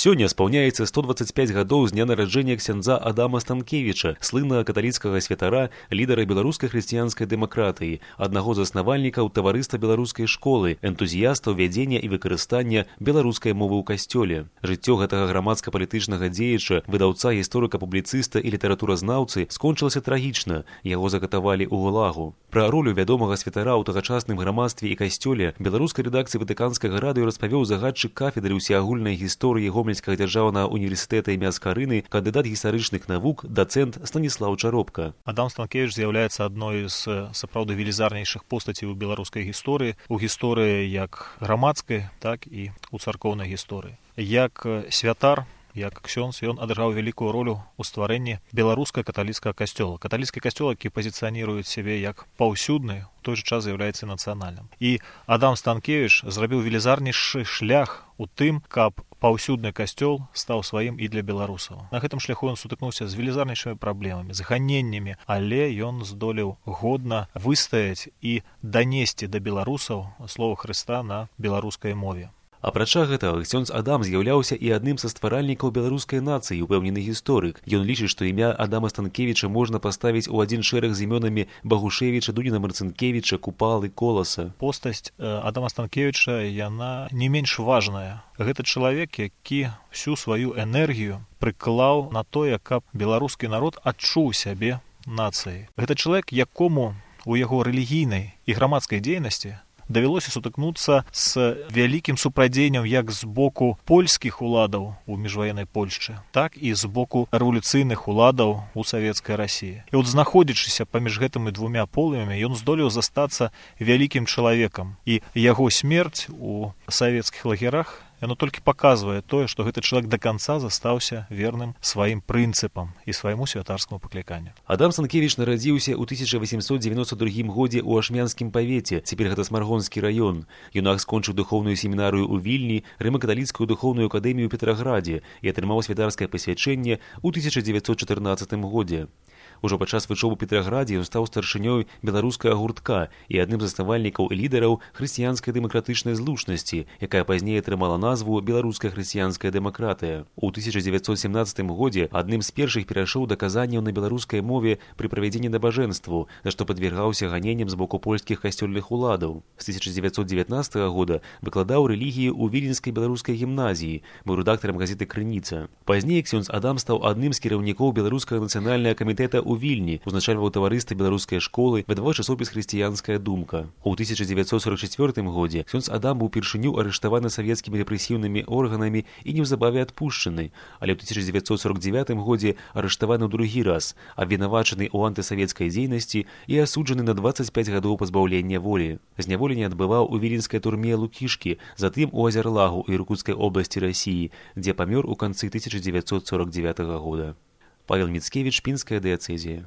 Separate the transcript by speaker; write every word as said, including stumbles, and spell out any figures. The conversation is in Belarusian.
Speaker 1: Сёння спаўняецца сто дваццаць пяць гадоў з дня нараджэння ксяндза Адама Станкевіча, слыннага каталіцкага святара, лідара беларускай хрысціянскай дэмакратыі, аднаго з заснавальнікаў таварыства беларускай школы, энтузіястаў вядзення і выкарыстання беларускай мовы ў касцёле. Жыццё гэтага грамадска-палітычнага дзеяча, выдаўца, гісторыка-публіцыста і літаратуразнаўцы скончылася трагічна, яго закатавалі ў гулагу. Пра ролю вядомага святара ў тагачасным грамадстве і касцёле беларускай рэдакцыі ватыканскага радыё распавёў загадчык кафедры ўсеагульнай гісторыі Гомельскага дзяржаўнага універсітэта імя Скарыны, кандыдат гістарычных навук, дацэнт Станіслаў Чаропка.
Speaker 2: Адам Станкевіч з'яўляецца адной з сапраўды велізарнейшых постацей у беларускай гісторыі, у гісторыі як грамадскай, так і у царкоўнай гісторыі. Як святар, як ксёндз, ён адыграў вялікую ролю ў стварэнні беларускага каталіцкага касцёла. Каталіцкі касцёл, які пазіцыяніруе сябе як паўсюдны, у той жа час з'яўляецца нацыянальным. І Адам Станкевіч зрабіў велізарнейшы шлях у тым, каб паўсюдны касцёл стаў сваім і для беларусаў. На гэтым шляху ён сутыкнуўся з велізарнейшымі праблемамі, з ганеннямі, але ён здолеў годна выстаяць і данесці да беларусаў слова Хрыста на беларускай мове.
Speaker 1: Апрача гэтага, ксёндз Адам з'яўляўся і адным са стваральнікаў беларускай нацыі, упэўнены гісторык. Ён лічыць, што імя Адама Станкевіча можна паставіць у адзін шэраг з імёнамі Багушевіча, Дуніна Марцынкевіча, Купалы, Коласа.
Speaker 2: Постаць Адама Станкевіча, яна не менш важная. Гэта чалавек, які всю сваю энергію прыклаў на тое, каб беларускі народ адчуў сябе нацыяй. Гэта чалавек, якому у яго рэлігійнай і грамадскай дзейнасці давялося сутыкнуцца з вялікім супрадзеннем як з боку польскіх уладаў у міжваеннай Польшчы, так і з боку рэвалюцыйных уладаў у савецкай Расіі. І от знаходзячыся паміж гэтымі двумя полымі, ён здолеў застацца вялікім чалавекам. І яго смерць у савецкіх лагерах, яно толькі паказвае тое, што гэты чалавек да канца застаўся верным сваім прынцыпам і свайму святарскаму пакліканню.
Speaker 1: Адам Станкевіч нарадзіўся ў тысяча васемсот дзевяноста другім годзе ў Ашмянскім павеце, цяпер гэта Смаргонскі раён. Юнак скончыў духоўную семінарыю ў Вільні, рыма-каталіцкую духоўную акадэмію ў Петраградзе і атрымаў святарскае пасвячэнне ў тысяча дзевяцьсот чатырнаццатым годзе. Ужо падчас вучобы ў Петраградзе ён стаў старшынёй беларускага гуртка і адным з заснавальнікаў і лідараў хрысціянскай дэмакратычнай злучнасці, якая пазней атрымала назву беларуская хрысціянская дэмакратыя. У тысяча дзевяцьсот сямнаццатым годзе адным з першых перайшоў да казанняў на беларускай мове пры правядзенні набажэнству, за што падвергаўся ганенням з боку польскіх касцёльных уладаў. З тысяча дзевяцьсот дзевятнаццатага года выкладаў рэлігію ў Віленскай беларускай гімназіі, быў рэдактарам газеты «Крыніца». Пазней ксёндз Адам стаў адным з кіраўнікоў беларускага нацыянальнага камітэта у Вільні, узначальваў таварыства беларускай школы, выдаваў часопіс «Хрысціянская думка». У тысяча дзевяцьсот сорак чацвёртым годзе ксёндз Адам быў упершыню арыштаваны савецкімі рэпрэсіўнымі органамі і неўзабаве адпушчаны, але ў тысяча дзевяцьсот сорак дзевятым годзе арыштаваны ў другі раз, абвінавачаны ў антысавецкай дзейнасці і асуджаны на дваццаць пяць гадоў пазбаўлення волі. Зняволенне адбываў у віленскай турме Лукішкі, затым у Азерлагу і Іркутскай обласці Расіі, дзе памёр у канцы тысяча дзевяцьсот сорак дзевятага года. Павел Міцкевіч, Пінская дыяцэзія.